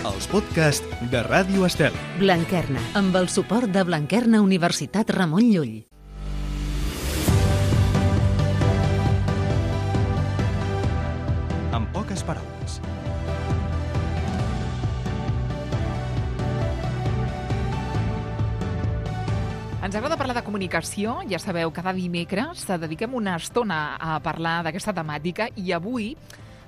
els podcasts de Ràdio Estel. Blanquerna, amb el suport de Blanquerna Universitat Ramon Llull. En poques paraules. Ens agrada parlar de comunicació, ja sabeu, cada dimecres dediquem una estona a parlar d'aquesta temàtica i avui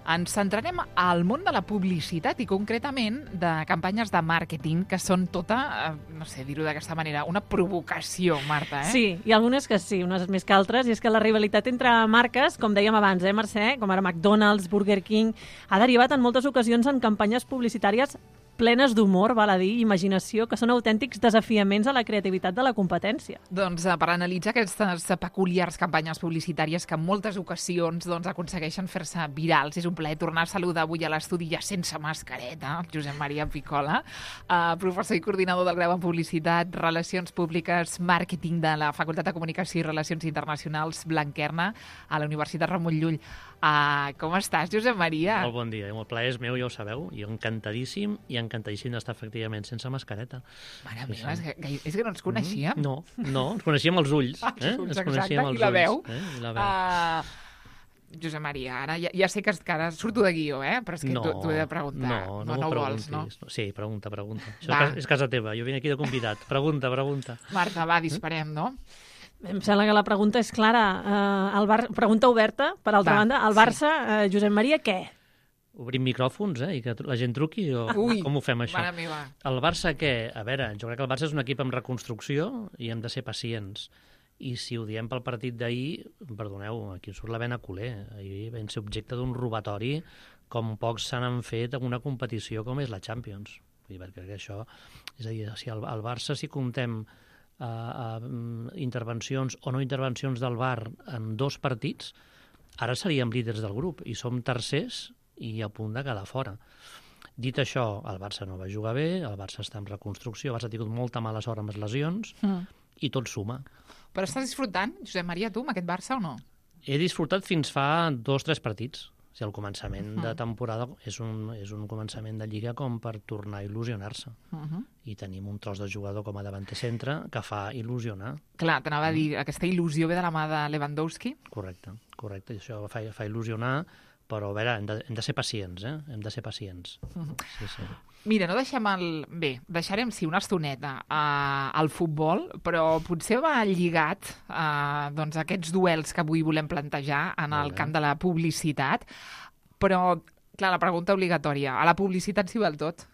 ens centrarem al món de la publicitat i concretament de campanyes de màrqueting que són tota, no sé dir-ho d'aquesta manera, una provocació, Marta, eh? Sí, i algunes que sí, unes més que altres, i és que la rivalitat entre marques, com dèiem abans, Mercè, com ara McDonald's, Burger King, ha derivat en moltes ocasions en campanyes publicitàries plenes d'humor, val a dir, i imaginació, que són autèntics desafiaments a la creativitat de la competència. Doncs per analitzar aquestes peculiars campanyes publicitàries que en moltes ocasions aconsegueixen fer-se virals, és un plaer tornar a saludar avui a l'estudi ja sense mascareta, Josep Maria Picola, professor i coordinador del grau en Publicitat, Relacions Públiques, Màrqueting de la Facultat de Comunicació i Relacions Internacionals Blanquerna a la Universitat Ramon Llull. Com estàs, Josep Maria? Molt bon dia, el plaer és meu, ja ho sabeu, i encantadíssim d'estar efectivament sense mascareta. Mare meva, és que no ens coneixíem. No, ens coneixíem els ulls. Ens coneixíem els ulls. I la veu. Josep Maria, ara ja sé que ara surto de guió, però és que t'ho he de preguntar. No vols, no? Sí, pregunta. Això és casa teva, jo vinc aquí de convidat. Pregunta. Marta, va, disparem, no? Em sembla que la pregunta és clara. Pregunta oberta, per altra banda. El Barça, Josep Maria, què? Obrim micròfons, i que la gent truqui, o com ho fem, això? Mare meva. El Barça, què? A veure, jo crec que el Barça és un equip en reconstrucció i hem de ser pacients. I si ho diem pel partit d'ahir, perdoneu, aquí surt la vena culer. Ahir vam ser objecte d'un robatori com pocs se n'han fet en una competició com és la Champions. Vull dir, perquè això... És a dir, si el Barça, si comptem intervencions o no intervencions del VAR en 2 partits, ara seríem líders del grup i som tercers i a punt de quedar fora. Dit això, el Barça no va jugar bé, el Barça està en reconstrucció, el Barça ha tingut molta mala sort amb les lesions i tot suma. Però estàs disfrutant, Josep Maria, tu, amb aquest Barça o no? He disfrutat fins fa 2 o 3 partits. O sigui, el començament de temporada és un començament de Lliga com per tornar a il·lusionar-se. I tenim un tros de jugador com a davanter centre que fa il·lusionar. Clar, t'anava a dir, aquesta il·lusió ve de la mà de Lewandowski? Correcte. I això fa il·lusionar, però a veure, hem de ser pacients, Hem de ser pacients. Sí. Mira, no deixem deixarem, sí, una estoneta al futbol, però potser va lligat a aquests duels que avui volem plantejar en el camp de la publicitat. Però, clar, la pregunta obligatòria, a la publicitat s'hi val tot?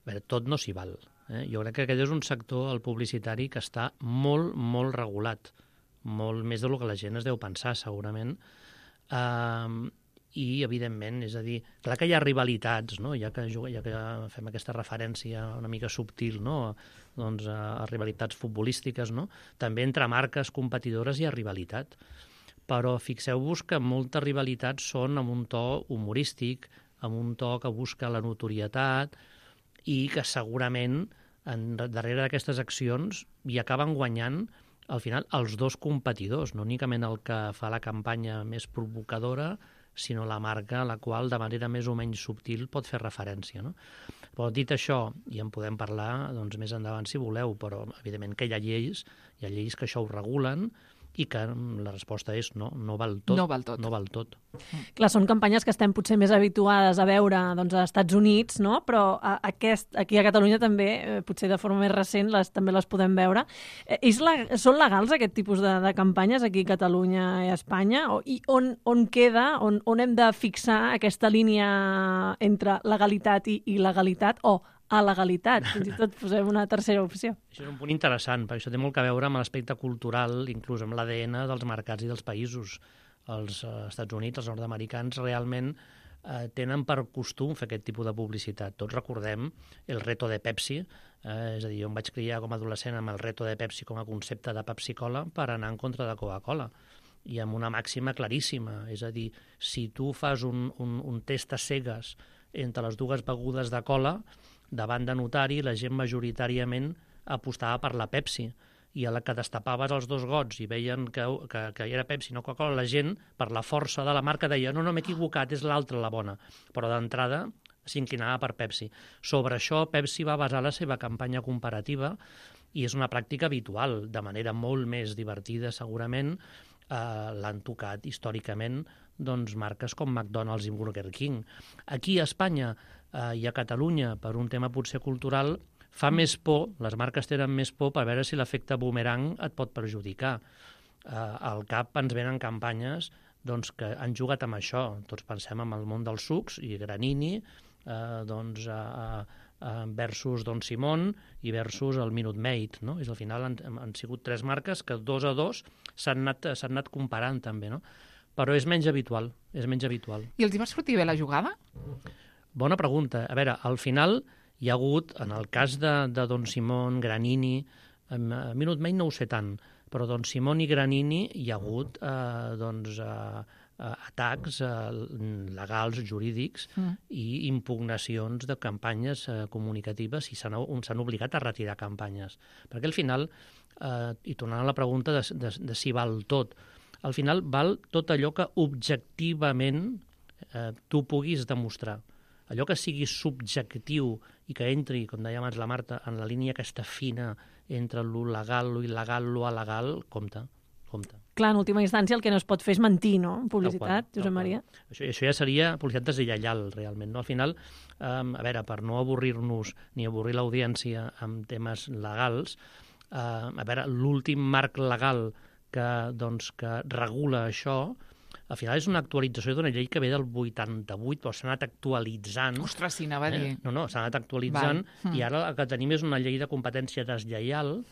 A veure, tot no s'hi val. Jo crec que aquest és un sector, el publicitari, que està molt, molt regulat. Molt més del que la gent es deu pensar, segurament. I, evidentment, és a dir, clar que hi ha rivalitats, no? ja que fem aquesta referència una mica subtil, no? Doncs, a rivalitats futbolístiques, no? També entre marques competidores hi ha rivalitat. Però fixeu-vos que moltes rivalitats són amb un to humorístic, amb un to que busca la notorietat i que segurament darrere d'aquestes accions hi acaben guanyant al final els 2 competidors, no únicament el que fa la campanya més provocadora, sinó la marca a la qual de manera més o menys subtil pot fer referència, no? Però dit això, i en podem parlar més endavant si voleu, però evidentment que hi ha lleis que això ho regulen i que la resposta és no val tot. No val tot. Clar, són campanyes que estem potser més habituades a veure als Estats Units, no? Però aquí a Catalunya també, potser de forma més recent, també les podem veure. Són legals aquest tipus de campanyes aquí a Catalunya i a Espanya? I on queda, on hem de fixar aquesta línia entre legalitat i il·legalitat o a legalitat? Fins i tot posem una tercera opció. Això és un punt interessant, perquè això té molt a veure amb l'aspecte cultural, inclús amb l'ADN dels mercats i dels països. Els Estats Units, els nord-americans, realment tenen per costum fer aquest tipus de publicitat. Tots recordem el reto de Pepsi, és a dir, jo em vaig criar com a adolescent amb el reto de Pepsi com a concepte de Pepsi-Cola per anar en contra de Coca-Cola. I amb una màxima claríssima, és a dir, si tu fas un test a cegues entre les 2 begudes de cola, davant de notari, la gent majoritàriament apostava per la Pepsi. I a la que destapaves els 2 gots i veien que era Pepsi, no Coca-Cola, la gent, per la força de la marca, deia no, m'he equivocat, és l'altra la bona. Però d'entrada s'inclinava per Pepsi. Sobre això, Pepsi va basar la seva campanya comparativa i és una pràctica habitual, de manera molt més divertida, segurament, l'han tocat històricament doncs, marques com McDonald's i Burger King. Aquí a Espanya i a Catalunya, per un tema potser cultural, fa més por, les marques tenen més por per veure si l'efecte boomerang et pot perjudicar. Al cap ens venen campanyes doncs, que han jugat amb això. Tots pensem en el món dels sucs i Granini, versus Don Simón i versus el Minute Maid. No? Al final han sigut 3 marques que 2 a 2 s'han anat comparant també, no? Però és menys habitual, I els hi va sortir bé la jugada? Bona pregunta. A veure, al final hi ha hagut, en el cas de Don Simón, Granini, Minute Maid no ho sé tant, però Don Simón i Granini hi ha hagut atacs legals, jurídics i impugnacions de campanyes comunicatives i s'han obligat a retirar campanyes. Perquè al final, i tornant a la pregunta de si val tot, al final val tot allò que objectivament tu puguis demostrar. Allò que sigui subjectiu i que entri, com deia abans la Marta, en la línia aquesta fina entre lo legal, lo il·legal, lo alegal, compte. Clar, en última instància el que no es pot fer és mentir, no? Publicitat, Josep Maria. Això ja seria publicitat deslleial, realment. No? Al final, a veure, per no avorrir-nos ni avorrir l'audiència amb temes legals, a veure, l'últim marc legal que regula això, al final és una actualització d'una llei que ve del 88, però s'ha anat actualitzant. Ostres, sí, anava a dir. No, s'ha anat actualitzant i ara el que tenim és una llei de competència deslleial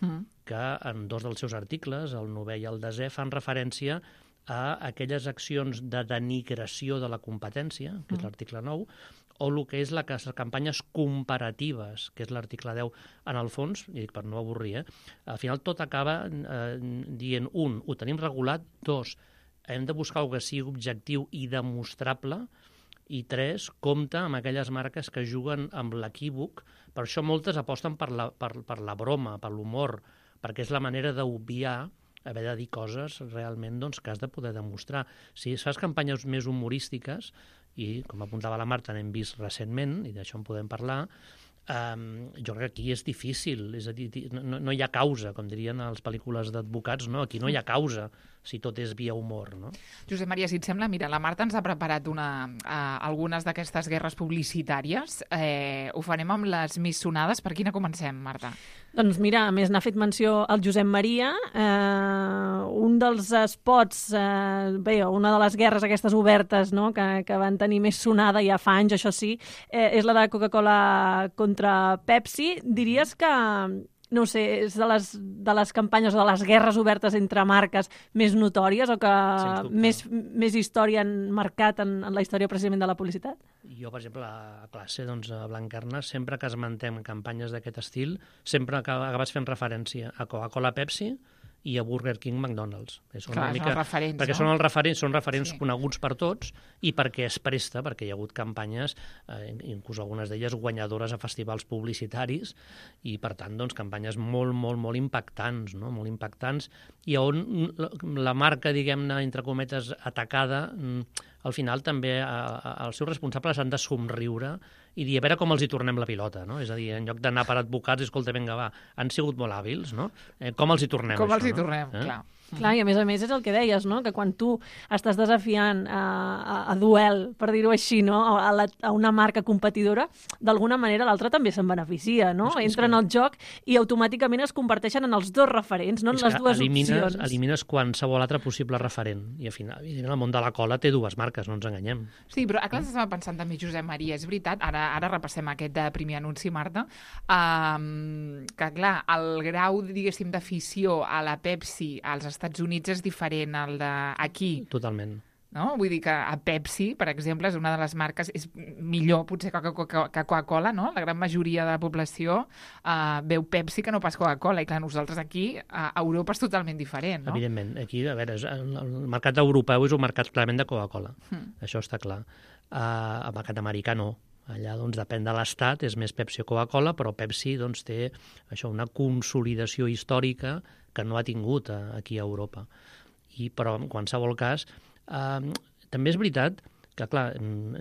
que en 2 dels seus articles, el 9è i el 10è, fan referència a aquelles accions de denigració de la competència, que és l'article 9, o el que és les campanyes comparatives, que és l'article 10. En el fons, i dic per no avorrir, al final tot acaba dient, 1, ho tenim regulat, 2, hem de buscar que sigui objectiu i demostrable, i 3, compta amb aquelles marques que juguen amb l'equívoc. Per això moltes aposten per la broma, per l'humor, perquè és la manera d'obviar haver de dir coses realment que has de poder demostrar. Si fas campanyes més humorístiques, i com apuntava la Marta, n'hem vist recentment, i d'això en podem parlar, jo crec que aquí és difícil, és a dir, no hi ha causa, com dirien a les pel·lícules d'advocats, no? Aquí no hi ha causa, si tot és via humor, no? Josep Maria, si et sembla, mira, la Marta ens ha preparat algunes d'aquestes guerres publicitàries. Ho farem amb les més sonades. Per quina comencem, Marta? Doncs mira, a més n'ha fet menció el Josep Maria. Un dels spots, una de les guerres aquestes obertes, no?, que van tenir més sonada ja fa anys, això sí, és la de Coca-Cola contra Pepsi. Diries que, no sé, és de les campanyes o de les guerres obertes entre marques més notòries o que més història han marcat en la història precisament de la publicitat? Jo, per exemple, a classe, a Blanquerna, sempre que esmentem campanyes d'aquest estil, sempre acabes fent referència a Coca-Cola, Pepsi i a Burger King, McDonald's. Són els referents, perquè són referents coneguts per tots i perquè es presta, perquè hi ha hagut campanyes, inclús algunes d'elles guanyadores a festivals publicitaris, i per tant, campanyes molt, molt, molt impactants, no? Molt impactants, i on la marca, diguem-ne, entre cometes, atacada, al final també els seus responsables han de somriure i dir, a veure com els hi tornem la pilota, no? És a dir, en lloc d'anar per advocats, escolta, vinga, va, han sigut molt hàbils, no? Com els hi tornem, com això, els hi tornem, no? Clar. Clar, i a més és el que deies, no?, que quan tu estàs desafiant a duel, per dir-ho així, no?, a una marca competidora, d'alguna manera l'altra també se'n beneficia, no? Entren al joc i automàticament es converteixen en els dos referents, no en les dues opcions. Elimines qualsevol altre possible referent, i al final, el món de la cola té 2 marques, no ens enganyem. Sí, però clar, estava pensant també, Josep Maria, és veritat, ara repassem aquest primer anunci, Marta, que clar, el grau, diguéssim, d'afició a la Pepsi als Estats Units és diferent al d'aquí. Totalment. No? Vull dir que a Pepsi, per exemple, és una de les marques, és millor potser que Coca-Cola, no? La gran majoria de la població veu Pepsi que no pas Coca-Cola, i clar, nosaltres aquí, a Europa és totalment diferent, no? Evidentment, aquí, a veure, el mercat europeu és un mercat clarament de Coca-Cola, això està clar. El mercat americà no. Allà, depèn de l'estat, és més Pepsi o Coca-Cola, però Pepsi té això, una consolidació històrica que no ha tingut aquí a Europa. Però, en qualsevol cas, també és veritat que clar,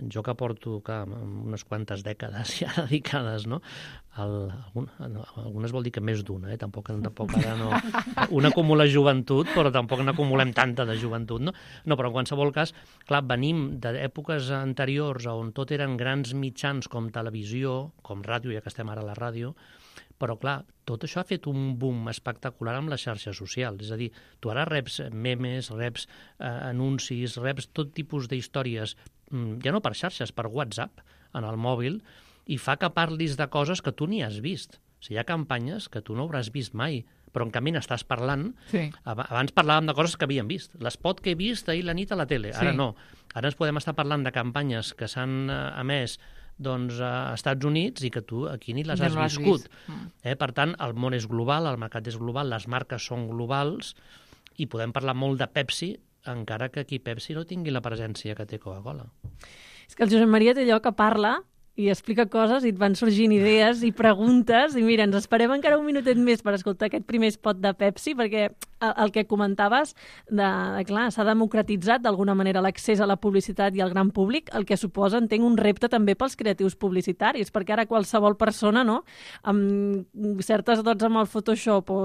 jo que porto unes quantes dècades ja dedicades, no? Algunes vol dir que més d'una, tampoc ara no... Un acumula joventut, però tampoc n'acumulem tanta de joventut, no? No, però en qualsevol cas, clar, venim d'èpoques anteriors on tot eren grans mitjans com televisió, com ràdio, ja que estem ara a la ràdio, però, clar, tot això ha fet un boom espectacular amb les xarxes socials. És a dir, tu ara reps memes, reps anuncis, reps tot tipus d'històries, ja no per xarxes, per WhatsApp, en el mòbil, i fa que parlis de coses que tu ni has vist. O sigui, hi ha campanyes que tu no hauràs vist mai, però en canvi n'estàs parlant. Sí. Abans parlàvem de coses que havíem vist. L'espot que he vist ahir la nit a la tele. Ara no. Ara ens podem estar parlant de campanyes que s'han emès a Estats Units i que tu aquí ni les has viscut. Per tant, el món és global, el mercat és global, les marques són globals i podem parlar molt de Pepsi, encara que aquí Pepsi no tingui la presència que té Coca-Cola. És que el Josep Maria té allò que parla i explica coses i et van sorgint idees i preguntes i mira, ens esperem encara un minutet més per escoltar aquest primer spot de Pepsi perquè el que comentaves, clar, s'ha democratitzat d'alguna manera l'accés a la publicitat i al gran públic, el que suposa, entenc, un repte també pels creatius publicitaris, perquè ara qualsevol persona, no, amb certes dots amb el Photoshop o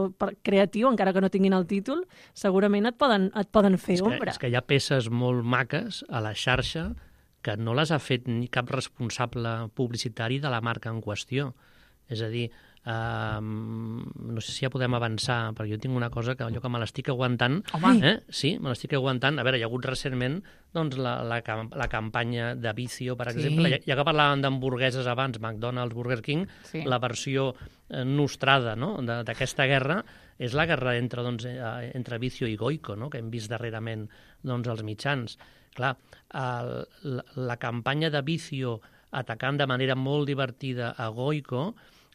creatiu, encara que no tinguin el títol, segurament et poden fer ombra. És que hi ha peces molt maques a la xarxa que no les ha fet ni cap responsable publicitari de la marca en qüestió. És a dir, no sé si ja podem avançar, perquè jo tinc una cosa que allò que me l'estic aguantant... Sí, me l'estic aguantant. A veure, hi ha hagut recentment doncs, la campanya de Vicio, per exemple. Ja que parlàvem d'hamburgueses abans, McDonald's, Burger King, la versió nostrada d'aquesta guerra és la guerra entre Vicio i Goico, que hem vist darrerament als mitjans. Clar, la campanya de Vicio atacant de manera molt divertida a Goico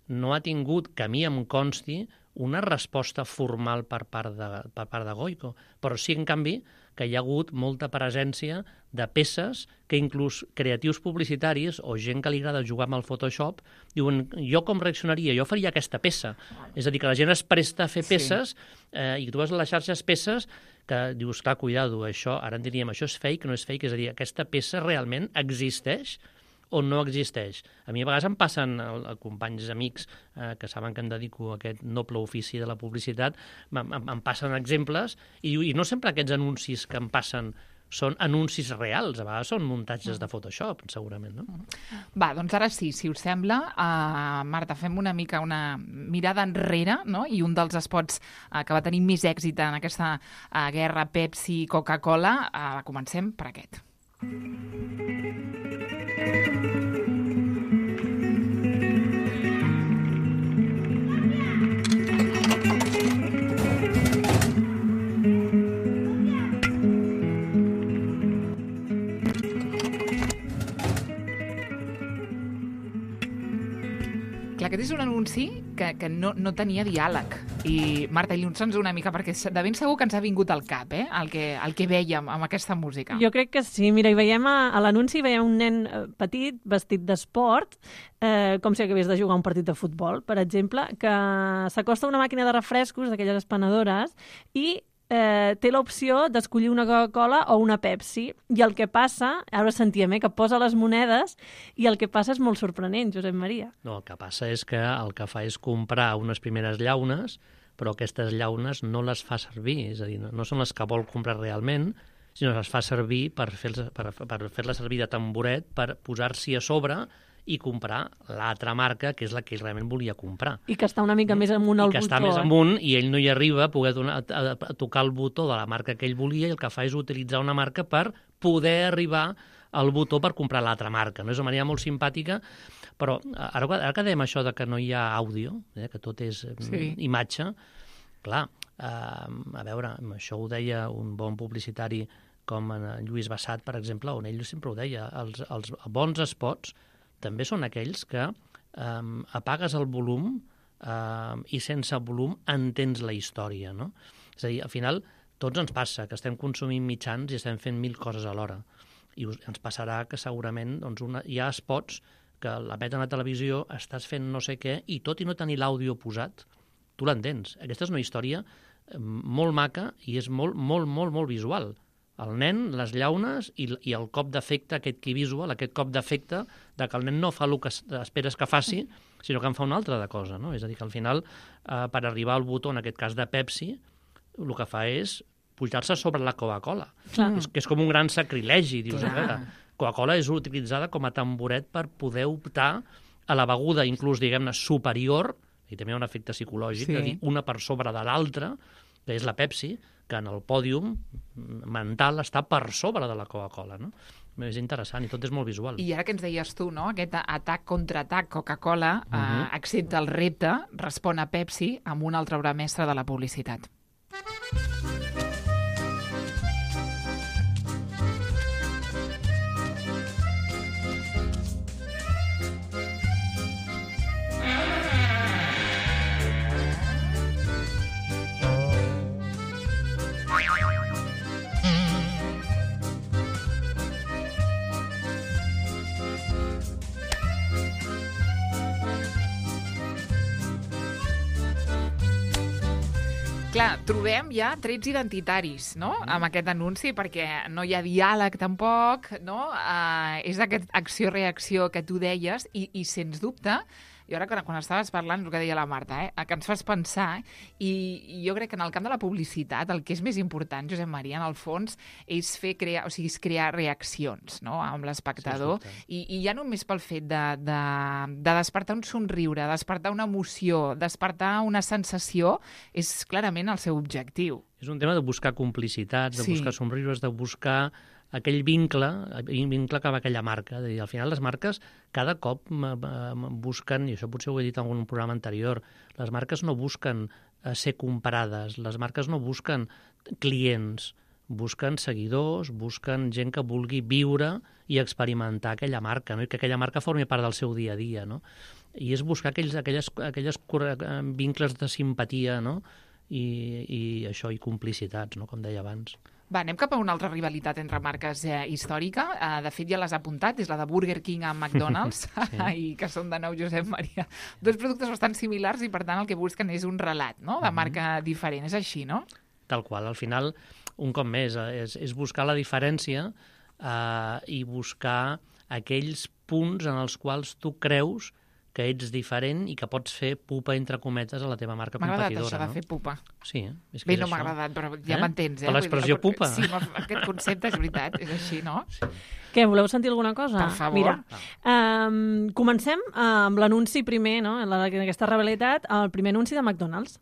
no ha tingut, que a mi em consti, una resposta formal per part de Goico. Però sí, en canvi, que hi ha hagut molta presència de peces que inclús creatius publicitaris o gent que li agrada jugar amb el Photoshop diuen, jo com reaccionaria? Jo faria aquesta peça. És a dir, que la gent es presta a fer peces i tu veus a les xarxes peces que dius, clar, cuidado, això, ara en diríem, això és fake, no és fake, és a dir, aquesta peça realment existeix o no existeix. A mi a vegades em passen companys, amics, que saben que em dedico a aquest noble ofici de la publicitat, em passen exemples i no sempre aquests anuncis que em passen són anuncis reals, a vegades són muntatges de Photoshop, segurament, no? Va, doncs ara sí, si us sembla, Marta, fem una mica una mirada enrere, no? I un dels spots que va tenir més èxit en aquesta guerra Pepsi-Coca-Cola, comencem per aquest. Aquest és un anunci que no tenia diàleg. I, Marta, il·lustra'ns una mica, perquè de ben segur que ens ha vingut al cap, el que vèiem amb aquesta música. Jo crec que sí. Mira, hi veiem a l'anunci veiem un nen petit, vestit d'esport, com si acabés de jugar un partit de futbol, per exemple, que s'acosta a una màquina de refrescos, d'aquelles espanadores, i té l'opció d'escollir una Coca-Cola o una Pepsi. I el que passa, ara sentíem, que posa les monedes i el que passa és molt sorprenent, Josep Maria. No, el que passa és que el que fa és comprar unes primeres llaunes, però aquestes llaunes no les fa servir, és a dir, no són les que vol comprar realment, sinó que les fa servir per fer-la servir de tamboret per posar-s'hi a sobre i comprar l'altra marca, que és la que ell realment volia comprar. I que està una mica més amunt al botó. I que està més amunt i ell no hi arriba a poder a tocar el botó de la marca que ell volia i el que fa és utilitzar una marca per poder arribar al botó per comprar l'altra marca. No és una manera molt simpàtica, però ara que dèiem això de que no hi ha àudio, que tot és imatge, clar, a veure, això ho deia un bon publicitari com en Lluís Bassat, per exemple, on ell sempre ho deia, els bons spots també són aquells que apagues el volum i sense volum entens la història, no? És a dir, al final, tots ens passa que estem consumint mitjans i estem fent 1000 coses alhora. I ens passarà que segurament hi ha spots que l'emeten a televisió, estàs fent no sé què, i tot i no tenir l'àudio posat, tu l'entens. Aquesta és una història molt maca i és molt, molt, molt, molt visual. el nen, les llaunes i el cop d'efecte, aquest key visual, aquest cop d'efecte de que el nen no fa el que esperes que faci, sinó que en fa una altra de cosa, no? És a dir, que al final, per arribar al botó, en aquest cas de Pepsi, el que fa és pujar-se sobre la Coca-Cola. Que és com un gran sacrilegi. Dius, a veure, Coca-Cola és utilitzada com a tamboret per poder optar a la beguda, inclús, diguem-ne, superior, i també hi ha un efecte psicològic, de dir una per sobre de l'altra, que és la Pepsi, que en el pòdium mental està per sobre de la Coca-Cola, no? És interessant i tot és molt visual. I ara que ens deies tu, no? Aquest atac-contraatac Coca-Cola accepta el repte, respon a Pepsi amb una altra obra mestra de la publicitat. Clar, trobem ja trets identitaris, no?, amb aquest anunci, perquè no hi ha diàleg tampoc, no? És aquesta acció-reacció que tu deies i sens dubte, i ara quan estaves parlant, el que deia la Marta, que ens fas pensar, i jo crec que en el camp de la publicitat el que és més important, Josep Maria, en el fons, és crear reaccions, no?, amb l'espectador, i ja només pel fet de despertar un somriure, despertar una emoció, despertar una sensació, és clarament el seu objectiu. És un tema de buscar complicitats, de buscar somriures, de buscar aquell vincle que va aquella marca. Al final les marques cada cop busquen, i això potser ho he dit en algun programa anterior, les marques no busquen ser comparades, les marques no busquen clients, busquen seguidors, busquen gent que vulgui viure i experimentar aquella marca, no? I que aquella marca formi part del seu dia a dia, no? I és buscar aquelles vincles de simpatia, no? I això, i complicitats, no?, com deia abans. Va, anem cap a una altra rivalitat entre marques històrica. De fet, ja l'has apuntat, és la de Burger King amb McDonald's, i que són de nou, Josep Maria. Dos productes bastant similars i, per tant, el que busquen és un relat, no?, de marca diferent. És així, no? Tal qual. Al final, un cop més, és buscar la diferència i buscar aquells punts en els quals tu creus que ets diferent i que pots fer pupa, entre cometes, a la teva marca competidora. M'ha agradat això de fer pupa. Sí, és que bé, és no això. M'ha agradat, però ja m'entens, Per l'expressió pupa. Sí, aquest concepte és veritat, és així, no? Sí. Què, voleu sentir alguna cosa? Per favor. Mira, comencem amb l'anunci primer, no?, en aquesta rivalitat, el primer anunci de McDonald's.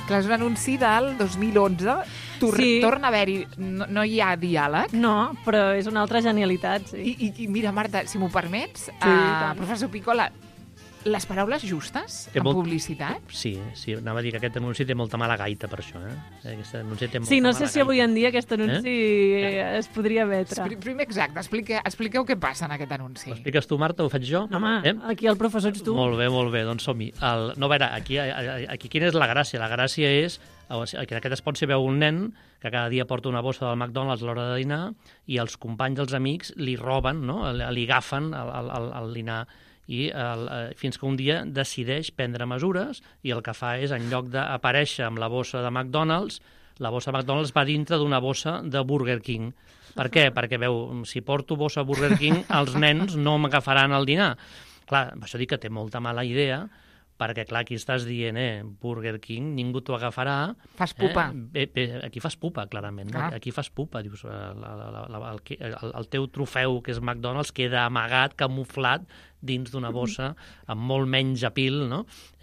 Clar, és un anunci del 2011. Torna a haver-hi... No hi ha diàleg. No, però és una altra genialitat, sí. I mira, Marta, si m'ho permets, professor Picola, les paraules justes en publicitat? Sí, anava a dir que aquest anunci té molta mala gaita per això. Aquest anunci té molta sí, no mala sé si avui en dia aquest anunci es podria emetre. Primer, exacte, expliqueu què passa en aquest anunci. Ho expliques tu, Marta, ho faig jo? Home, aquí el professor ets tu. Molt bé, doncs som-hi. No, a veure, aquí quina és la gràcia? La gràcia és que aquest espot s'hi veu un nen que cada dia porta una bossa del McDonald's a l'hora de dinar i els companys, els amics, li roben, no? Li agafen el dinar i fins que un dia decideix prendre mesures i el que fa és, en lloc d'aparèixer amb la bossa de McDonald's, la bossa de McDonald's va dintre d'una bossa de Burger King. Per què? Perquè veu, si porto bossa Burger King, els nens no m'agafaran el dinar. Clar, això dic que té molta mala idea, perquè, clar, aquí estàs dient, Burger King, ningú t'ho agafarà. Fas pupa. Aquí fas pupa, clarament. No? Aquí fas pupa. Dius, el teu trofeu, que és McDonald's, queda amagat, camuflat, dins d'una bossa, amb molt menys apil, no?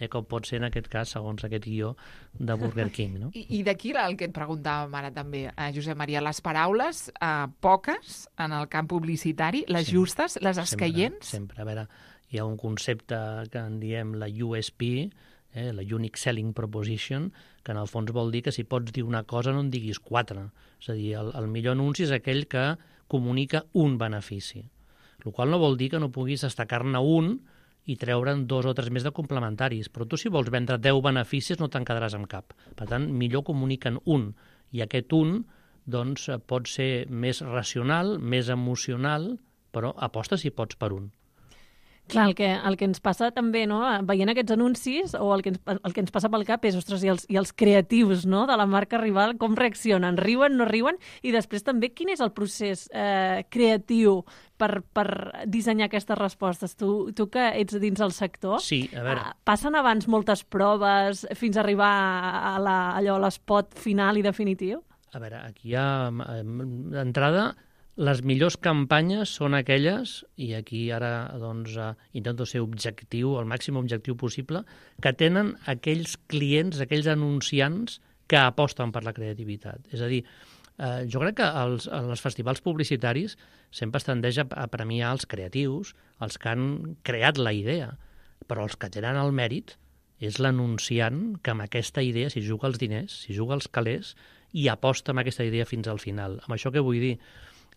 Com pot ser en aquest cas, segons aquest guió de Burger King. No? I d'aquí el que et preguntàvem ara també, Josep Maria, les paraules poques en el camp publicitari, les justes, les escaients? Sempre. A veure, hi ha un concepte que en diem la USP, la Unique Selling Proposition, que en el fons vol dir que si pots dir una cosa no en diguis quatre. És a dir, el millor anunci és aquell que comunica un benefici. El qual no vol dir que no puguis destacar-ne un i treure'n 2 o 3 més de complementaris. Però tu, si vols vendre 10 beneficis, no te'n quedaràs amb cap. Per tant, millor comuniquen un. I aquest un doncs, pot ser més racional, més emocional, però aposta si pots per un. Clar, el que ens passa també, no? Veient aquests anuncis, o el que ens passa pel cap és, ostres, i els creatius, no?, de la marca rival, com reaccionen? Riuen, no riuen? I després també, quin és el procés creatiu per dissenyar aquestes respostes? Tu que ets dins el sector, sí, a veure. Passen abans moltes proves fins a arribar a l'espot final i definitiu? A veure, aquí hi ha, d'entrada, les millors campanyes són aquelles, i aquí ara doncs, intento ser objectiu, el màxim objectiu possible, que tenen aquells clients, aquells anunciants que aposten per la creativitat. És a dir, jo crec que els festivals publicitaris sempre es tendeix a premiar els creatius, els que han creat la idea, però els que tenen el mèrit és l'anunciant que amb aquesta idea s'hi juga els diners, s'hi juga els calés i aposta amb aquesta idea fins al final. Amb això què vull dir?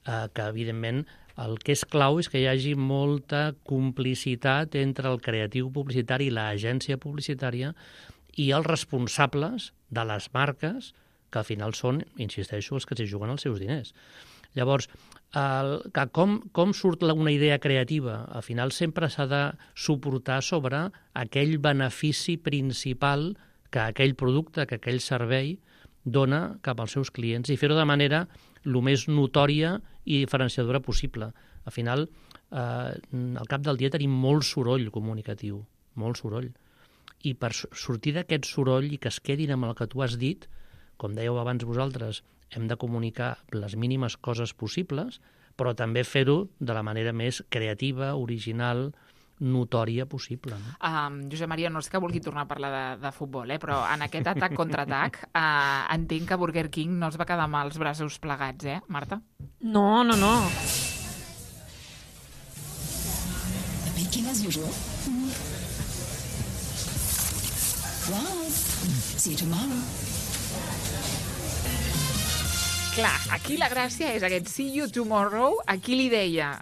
Que, evidentment, el que és clau és que hi hagi molta complicitat entre el creatiu publicitari i l'agència publicitària i els responsables de les marques, que al final són, insisteixo, els que s'hi juguen els seus diners. Llavors, com surt una idea creativa? Al final sempre s'ha de suportar sobre aquell benefici principal que aquell producte, que aquell servei dona cap als seus clients i fer-ho de manera el més notòria i diferenciadora possible. Al final, al cap del dia tenim molt soroll comunicatiu, molt soroll. I per sortir d'aquest soroll i que es quedin amb el que tu has dit, com dèieu abans vosaltres, hem de comunicar les mínimes coses possibles, però també fer-ho de la manera més creativa, original, notòria possible. No? Josep Maria, no és que vulgui tornar a parlar de futbol, però en aquest atac contra atac entenc que Burger King no es va quedar amb els braços plegats, Marta? No. The baking as usual. Wow. See you tomorrow. Clar, aquí la gràcia és aquest see you tomorrow. A qui li deia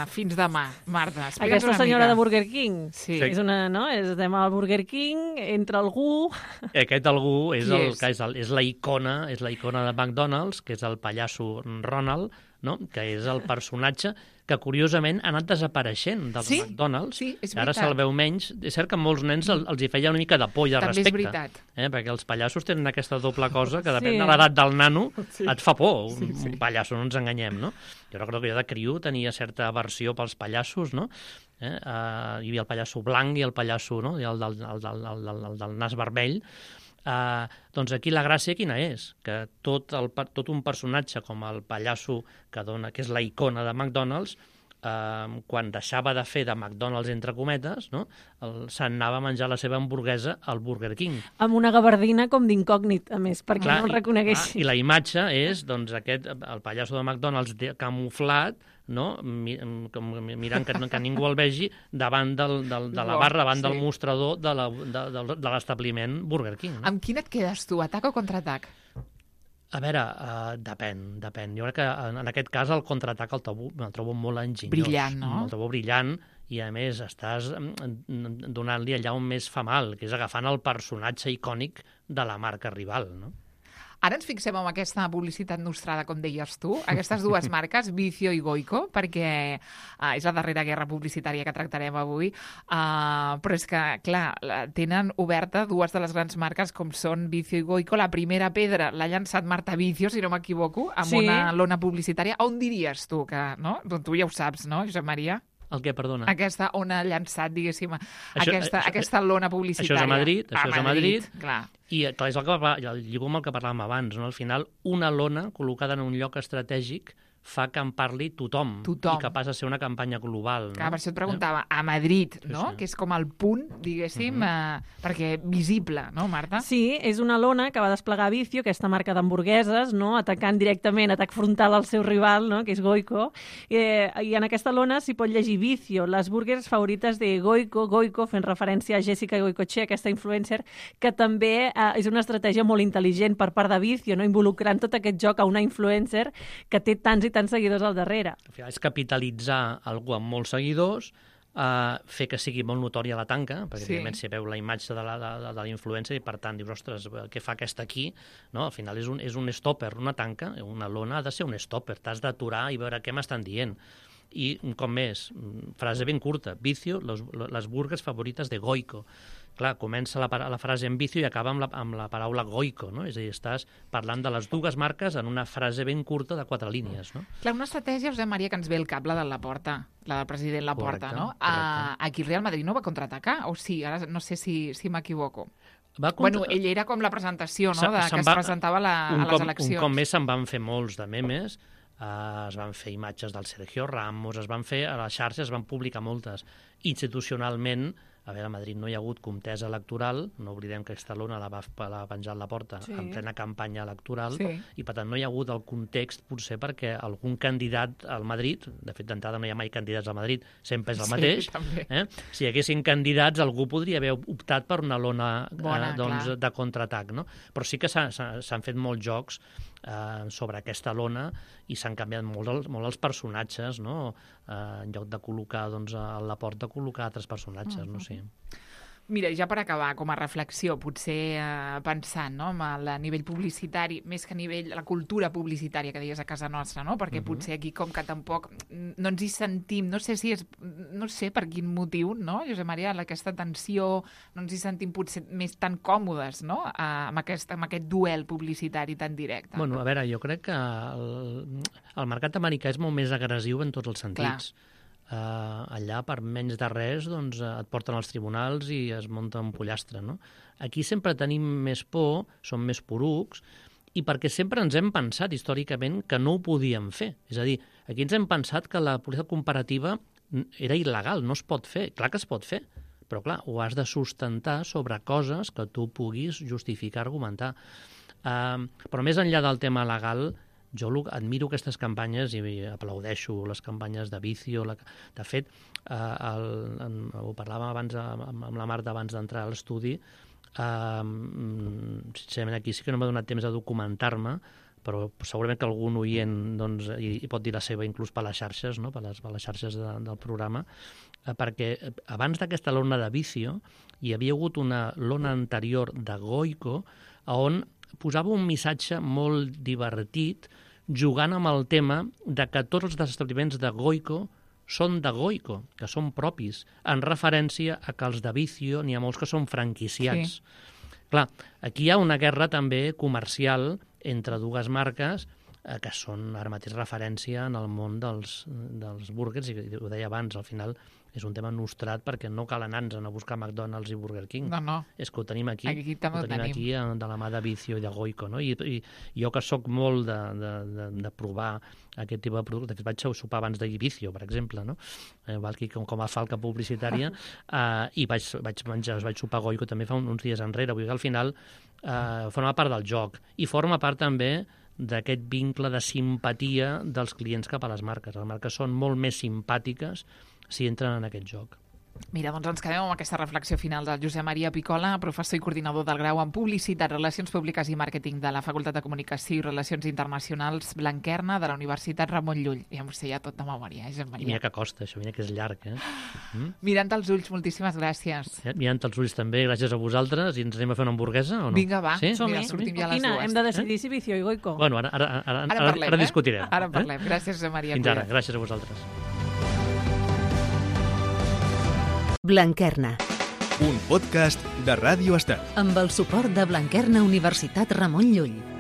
fins demà, Marta? Aquesta senyora de Burger King. Sí. És una, no? Estem al Burger King, entra algú... Aquest algú és la icona de McDonald's, que és el pallasso Ronald, no? Que és el personatge que curiosament ha anat desapareixent dels McDonald's. Sí, és veritat. Ara se'l veu menys. És cert que a molts nens els hi feia una mica de por i de respecte. També és veritat. Perquè els pallassos tenen aquesta doble cosa que depèn de l'edat del nano, et fa por. Un pallasso, no ens enganyem, no? Jo recordo que jo de criu tenia certa aversió pels pallassos, no? Hi havia el pallasso blanc i el pallasso, no? El del nas vermell. Doncs aquí la gràcia quina és? Que tot un personatge com el pallasso que és la icona de McDonald's, quan deixava de fer de McDonald's entre cometes, no? Se'n anava a menjar la seva hamburguesa al Burger King. Amb una gabardina com d'incògnit, a més, perquè no el reconeguessin. I la imatge és doncs, el pallasso de McDonald's camuflat, no? Mirant que ningú el vegi davant de la barra, davant del mostrador de l'establiment Burger King. No? Amb quin et quedes tu, atac o contraatac? A veure, depèn. Jo crec que en aquest cas el contraatac el trobo molt enginyós. Brillant, no? El trobo brillant i, a més, estàs donant-li allà on més fa mal, que és agafant el personatge icònic de la marca rival, no? Ara ens fixem en aquesta publicitat nostrada, com deies tu, aquestes dues marques, Vicio i Goico, perquè és la darrera guerra publicitària que tractarem avui, però és que, clar, tenen oberta dues de les grans marques com són Vicio i Goico. La primera pedra l'ha llançat Marta Vicio, si no m'equivoco, amb una lona publicitària. On diries tu que, no? Doncs tu ja ho saps, no, Josep Maria? El què, perdona? Aquesta on ha llançat, diguéssim, aquesta lona publicitària. Això és a Madrid. Clar. I clar, és el lligo amb el que parlàvem abans, no? Al final, una lona col·locada en un lloc estratègic fa que en parli tothom. I que passa a ser una campanya global. No? Clar, per això et preguntava, a Madrid, no? Sí. Que és com el punt, diguéssim, perquè visible, no, Marta? Sí, és una lona que va desplegar Vicio, aquesta marca d'hamburgueses, no? Atacant directament, atac frontal al seu rival, no? Que és Goico. I en aquesta lona s'hi pot llegir Vicio, les burgers favorites de Goico, fent referència a Jessica Goicoechea, aquesta influencer, que també és una estratègia molt intel·ligent per part de Vicio, no? Involucrant tot aquest joc a una influencer que té tants i tants seguidors al darrere. Al final és capitalitzar algú amb molts seguidors fer que sigui molt notòria la tanca, perquè Sí. evidentment si veu la imatge de l'influencer i per tant dius, ostres, què fa aquesta aquí? No? Al final és un stopper, una tanca, una lona ha de ser un stopper, t'has d'aturar i veure què m'estan dient. I, com més, frase ben curta, vicio, les burgues favorites de Goico. Clar, comença la frase en vicio i acaba amb la paraula Goico, no? És a dir, estàs parlant de les dues marques en una frase ben curta de 4 línies, no? Clar, una estratègia, Josep Maria, que ens ve el cap, la de Laporta, la del president Laporta, Correcte, no? correcte. Aquí el Real Madrid no va contraatacar, o sí? Ara no sé si m'equivoco. Va Bueno, ell era com la presentació, no?, que es presentava a les eleccions. Un cop més se'n van fer molts de memes, es van fer imatges del Sergio Ramos, es van fer a les xarxes, es van publicar moltes. Institucionalment, a veure, a Madrid no hi ha hagut contesa electoral, no oblidem que aquesta lona la va penjar a Laporta en plena campanya electoral, i per tant no hi ha hagut el context, potser perquè algun candidat al Madrid, de fet d'entrada no hi ha mai candidats al Madrid, sempre és el mateix, si hi haguessin candidats algú podria haver optat per una lona de contraatac, no? Però sí que s'han fet molts jocs sobre aquesta lona i s'han canviat molt els personatges, no? En lloc de col·locar a Laporta, col·locar altres personatges, no sé. Mira, ja per acabar, com a reflexió, potser pensant, no?, amb el nivell publicitari, més que a nivell la cultura publicitària que deies a casa nostra, no?, perquè potser aquí com que tampoc no ens hi sentim, no sé per quin motiu, no, Josep Maria, aquesta tensió, no ens hi sentim potser més tan còmodes, no?, amb aquest duel publicitari tan directe. Bueno, a veure, jo crec que el mercat americà és molt més agressiu en tots els sentits. Clar. Allà, per menys de res, doncs, et porten als tribunals i es munta un pollastre, no? Aquí sempre tenim més por, som més porucs, i perquè sempre ens hem pensat històricament que no ho podíem fer. És a dir, aquí ens hem pensat que la publicitat comparativa era il·legal, no es pot fer. Clar que es pot fer, però clar, ho has de sustentar sobre coses que tu puguis justificar, argumentar. Però més enllà del tema legal, jo admiro aquestes campanyes i aplaudeixo les campanyes de Vicio. De fet, ho parlàvem abans amb la Marta abans d'entrar a l'estudi, sincerament aquí sí que no m'ha donat temps de documentar-me, però segurament que algun oient hi pot dir la seva inclús per les xarxes, no? per les xarxes del programa, perquè abans d'aquesta lona de Vicio hi havia hagut una lona anterior de Goico on posava un missatge molt divertit jugant amb el tema de que tots els establiments de Goico són de Goico, que són propis, en referència a que els de Vicio n'hi ha molts que són franquiciats. Sí. Clar, aquí hi ha una guerra també comercial entre dues marques que són ara mateix referència en el món dels burgers, i ho deia abans, al final és un tema nostrat perquè no cal anar-nos a buscar McDonald's i Burger King. No. És que ho tenim aquí. Aquí també ho tenim. Aquí de la mà de Vicio i de Goico, no? I jo que sóc molt de provar aquest tipus de producte, de fet vaig sopar abans de Vicio, per exemple, no? Aquí com a falca publicitària, i vaig sopar Goico també fa uns dies enrere. Vull dir que al final forma part del joc i forma part també d'aquest vincle de simpatia dels clients cap a les marques. Les marques són molt més simpàtiques si entren en aquest joc. Mira, doncs ens quedem amb aquesta reflexió final del Josep Maria Picola, professor i coordinador del grau en Publicitat, Relacions Públiques i Màrqueting de la Facultat de Comunicació i Relacions Internacionals Blanquerna de la Universitat Ramon Llull. Ja m'ho sé ja tot de memòria, Josep Maria. I mira que costa, això, mira que és llarg, Mirant als ulls, moltíssimes gràcies. Mirant als ulls també, gràcies a vosaltres, i ens anem a fer una hamburguesa o no? Vinga, va, sí? mira, sortim ja a les dues. Hem de decidir si Vicio i Goico. Bueno, ara discutirem. Ara parlem. Gràcies, Josep Maria. Fins ara, gràcies a vosaltres. Blanquerna. Un podcast de Ràdio Estel. Amb el suport de Blanquerna Universitat Ramon Llull.